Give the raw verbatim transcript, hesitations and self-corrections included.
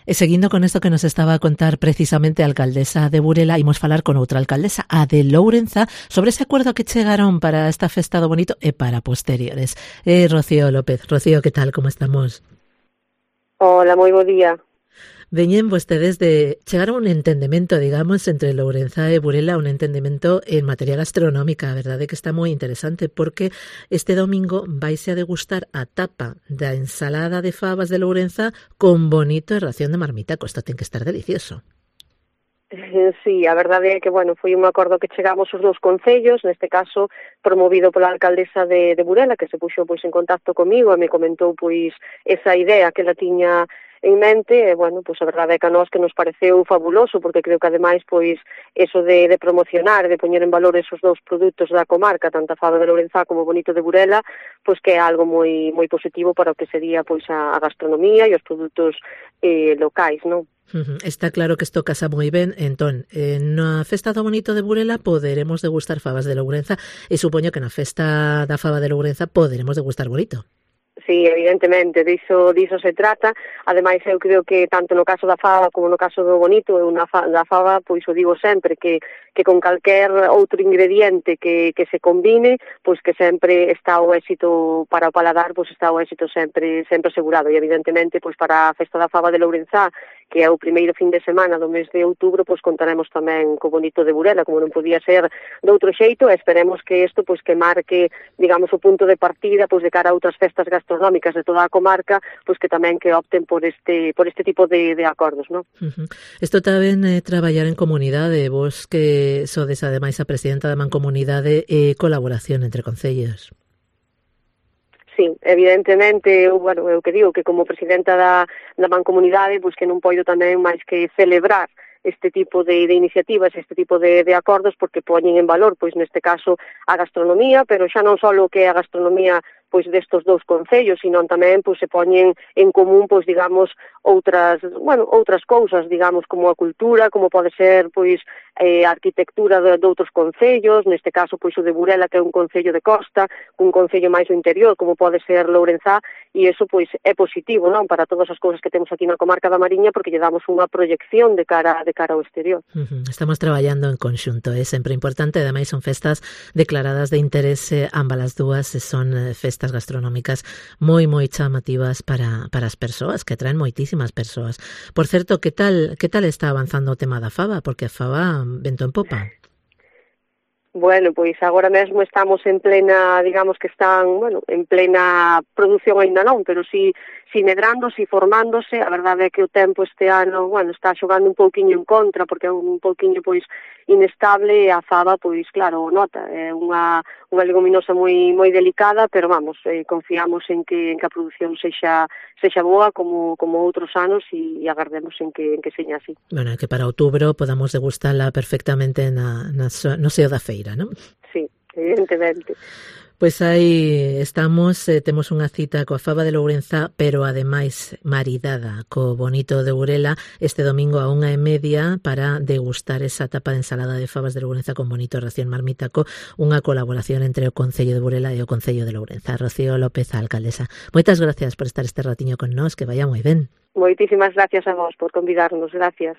E seguindo con isto que nos estaba a contar precisamente a alcaldesa de Burela, imos falar con outra alcaldesa, a de Lourenza, sobre ese acordo que chegaron para esta festa do bonito e para posteriores. Eh, Rocío López. Rocío, que tal? Como estamos? Hola, moi bo día. Veñen vostedes de chegar a un entendemento, digamos, entre Lourenza e Burela, un entendemento en materia gastronómica, a verdade que está moi interesante, porque este domingo vaise a degustar a tapa da ensalada de fabas de Lourenza con bonito e ración de marmitaco. Isto ten que estar delicioso. Sí, a verdade é que, bueno, foi un acordo que chegamos os dous concellos, neste caso promovido pola alcaldesa de, de Burela, que se puxo pois en contacto comigo e me comentou pois esa idea que ela tiña en mente, e, bueno, pois a verdade é que a nós que nos pareceu fabuloso, porque creo que ademais, pois, eso de, de promocionar, de poñer en valor esos dous produtos da comarca, tanto a fava de Lourenza como o bonito de Burela, pois que é algo moi moi positivo para o que sería, pois, a, a gastronomía e os produtos eh, locais, non? Uh-huh. Está claro que isto casa moi ben. Entón, eh, na festa do bonito de Burela poderemos degustar fabas de Lourenza e supoño que na festa da fava de Lourenza poderemos degustar bonito. Sí, evidentemente, diso, diso se trata. Ademais, eu creo que tanto no caso da fava como no caso do bonito, eu na fa, da fava, pois o digo sempre, que, que con calquer outro ingrediente que, que se combine, pois que sempre está o éxito para o paladar, pois está o éxito sempre sempre asegurado. E evidentemente, pois para a festa da fava de Lourenza, que é o primeiro fin de semana do mes de outubro, pois contaremos tamén co bonito de Burela, como non podía ser de outro xeito, e esperemos que isto pois que marque, digamos, o punto de partida pois de cara a outras festas gastronómicas de toda a comarca, pois que tamén que opten por este por este tipo de, de acordos, non? Uh-huh. Isto tamén é eh, traballar en comunidade, vos que sodes ademais a presidenta da Mancomunidade e eh, colaboración entre concellos. Sí, evidentemente, eu, bueno, eu que digo que como presidenta da, da Mancomunidade, pois que non poido tamén máis que celebrar este tipo de, de iniciativas, este tipo de, de acordos, porque poñen en valor, pois neste caso, a gastronomía, pero xa non só o que é a gastronomía pois destos dous concellos, sino tamén pois se poñen en común, pois digamos, outras, bueno, outras cousas, digamos, como a cultura, como pode ser pois eh, a arquitectura de, de outros concellos, neste caso pois o de Burela, que é un concello de costa, un concello máis do interior, como pode ser Lourenza, e iso pois é positivo, non, para todas as cousas que temos aquí na comarca da Mariña, porque lle damos unha proyección de cara de cara ao exterior. Uh-huh. Estamos traballando en conxunto, é sempre importante, ademais son festas declaradas de interese, ambas as dúas, e son festas gastronómicas moi moi chamativas para para as persoas, que atraen moitísimas persoas. Por certo, que tal que tal está avanzando o tema da fava, porque a fava vento en popa. Bueno, pois agora mesmo estamos en plena, digamos que están, bueno, en plena produción aínda non, pero si, si medrando, si formándose. A verdade é que o tempo este ano, bueno, está xogando un pouquiño en contra, porque é un pouquiño, pois, inestable, e a fava, pois, claro, nota, é unha, unha leguminosa moi moi delicada, pero vamos, eh, confiamos en que en que a produción sexa sexa boa como como outros anos, e, e agardemos en que en que seña así. Bueno, que para outubro podamos degustala perfectamente na, na no seo da feira, non? Sí, evidentemente. Pois aí estamos, eh, temos unha cita coa fava de Lourenza, pero ademais maridada co bonito de Burela este domingo a unha e media para degustar esa tapa de ensalada de fabas de Lourenza con bonito ración marmitaco, unha colaboración entre o Concello de Burela e o Concello de Lourenza. Rocío López, a alcaldesa. Moitas gracias por estar este ratiño con nós, que vaya moi ben. Moitísimas gracias a vos por convidarnos, gracias.